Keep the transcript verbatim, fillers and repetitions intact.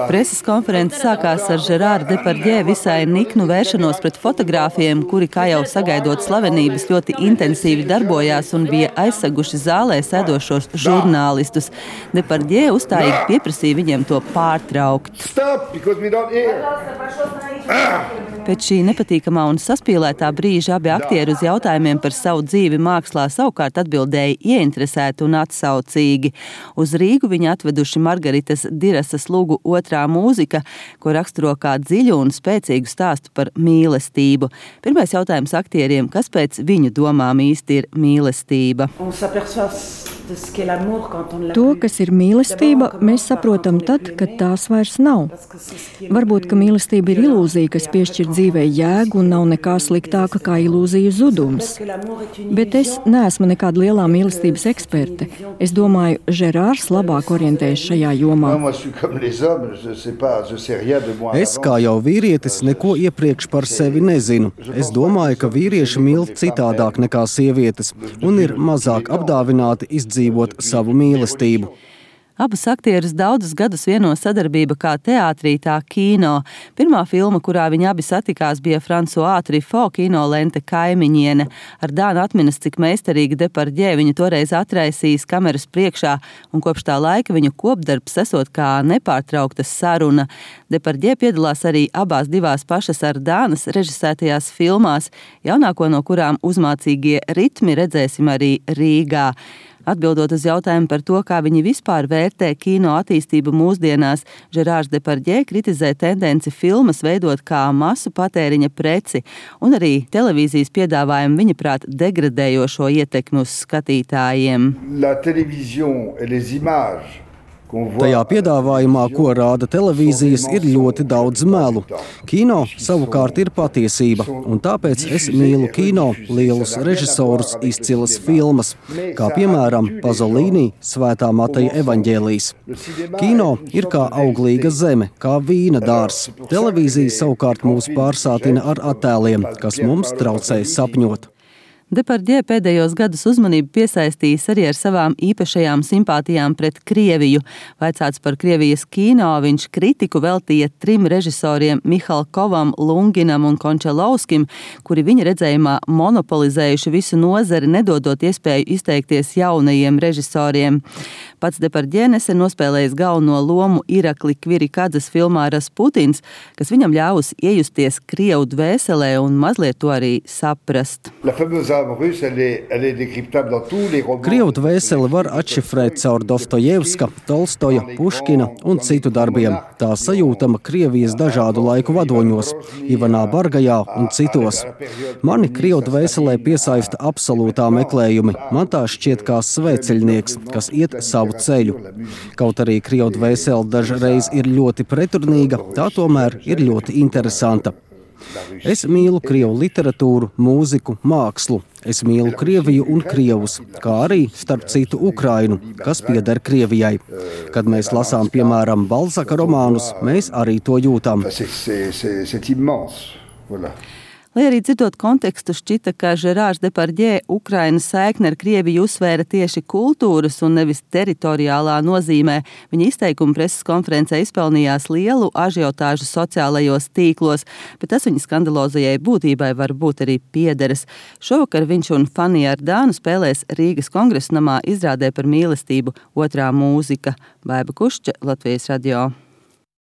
Preses konference sākās ar Žerāru Depardjē visai niknu vēršanos pret fotogrāfiem, kuri, kā jau sagaidot slavenības, ļoti intensīvi darbojās un bija aizseguši zālē sēdošos žurnālistus. Depardjē uzstājīgi pieprasīja viņiem to pārtraukt. Stop, because we don't hear. Pēc šī nepatīkamā un saspīlētā brīža abi aktieri uz jautājumiem par savu dzīvi mākslā savukārt atbildēja ieinteresēti un atsaucīgi. Uz Rīgu viņi atveduši Margaritas Dirasas lugu Otrā mūzika, ko raksturo kā dziļu un spēcīgu stāstu par mīlestību. Pirmais jautājums aktieriem, kas pēc viņu domām īsti ir mīlestība? To, kas ir mīlestība, mēs saprotam tad, kad tās vairs nav. Varbūt, ka mīlestība ir ilūzija, kas piešķir dzīvei jēgu un nav nekā sliktāka kā ilūziju zudums. Bet es neesmu nekāda lielā mīlestības eksperte. Es domāju, Žerārs labāk orientējas šajā jomā. Es, kā jau vīrietis, neko iepriekš par sevi nezinu. Es domāju, ka vīrieši mīl citādāk nekā sievietes un ir mazāk apdāvināti izdzīvot dzīvot savu mīlestību. Abus aktierus daudzus gadus vieno sadarbība kā teātrī, tā kino. Pirmā filma, kurā viņi abi satikās, bija François Truffaut kinolente Kaimiņiene. Ar Dānu atminas, cik meistarīgi Depardjē viņu toreiz atraisījis kameras priekšā, un kopš tā laika viņu kopdarbs esot kā nepārtraukta saruna. Depardjē piedalās arī abās divās pašas ar Dānas režisētajās filmās, jaunāko no kurām Uzmācīgie ritmi redzēsim arī Rīgā. Atbildot uz jautājumu par to, kā viņi vispār vērtē kino attīstību mūsdienās, Žerārs Depardjē kritizē tendenci filmas veidot kā masu patēriņa preci un arī televīzijas piedāvājumu viņa prāt degradējošo ietekmi uz skatītājiem. La télévision et les images. Tajā piedāvājumā, ko rāda televīzijas, ir ļoti daudz melu. Kino savukārt ir patiesība, un tāpēc es mīlu kino, lielus režisorus, izcilas filmas, kā piemēram Pazolīni, Svētā Mateja evaņģēlijs. Kino ir kā auglīga zeme, kā vīna dārs. Televīzija savukārt mūs pārsātina ar attēliem, kas mums traucē sapņot. Depardjē pēdējos gadus uzmanību piesaistījis arī ar savām īpašajām simpātijām pret Krieviju. Vaicāts par Krievijas kino, viņš kritiku veltīja trim režisoriem Mihalkovam, Lunginam un Končalovskim, kuri viņa redzējumā monopolizējuši visu nozari, nedodot iespēju izteikties jaunajiem režisoriem. Pats Depardjē nesen nospēlējis galveno lomu Irakli Kvirikadzes filmā Rasputins, kas viņam ļāvusi iejusties Krievu dvēselē un mazliet to arī saprast. Krievu dvēseli var atšifrēt caur Dostojevska, Tolstoja, Puškina un citu darbiem. Tā sajūtama Krievijas dažādu laiku vadoņos, Ivanā Bargajā un citos. Mani Krievu dvēselē piesaista absolūtā meklējumi. Man tā šķiet kā svēceļnieks, kas iet savu ceļu. Kaut arī Krievu dvēsele dažreiz ir ļoti pretrunīga, tā tomēr ir ļoti interesanta. Es mīlu Krievu literatūru, mūziku, mākslu. Es mīlu Krieviju un Krievus, kā arī, starp citu, Ukrainu, kas pieder Krievijai. Kad mēs lasām, piemēram, Balzaka romānus, mēs arī to jūtam. Lai arī dzirdot kontekstu, šķita, ka Žerārs Depardjē Ukrainas saikni ar Krieviju uzsvēra tieši kultūras un nevis teritoriālā nozīmē. Viņa izteikumi preses konferencē izpelnījās lielu ažiotāžu sociālajos tīklos, bet tas viņa skandalozajai būtībai var būt arī piederas. Šovakar viņš un Fanija Ardānu spēlēs Rīgas Kongresa namā izrādē par mīlestību Otrā mūzika. Baiba Kušča, Latvijas radio.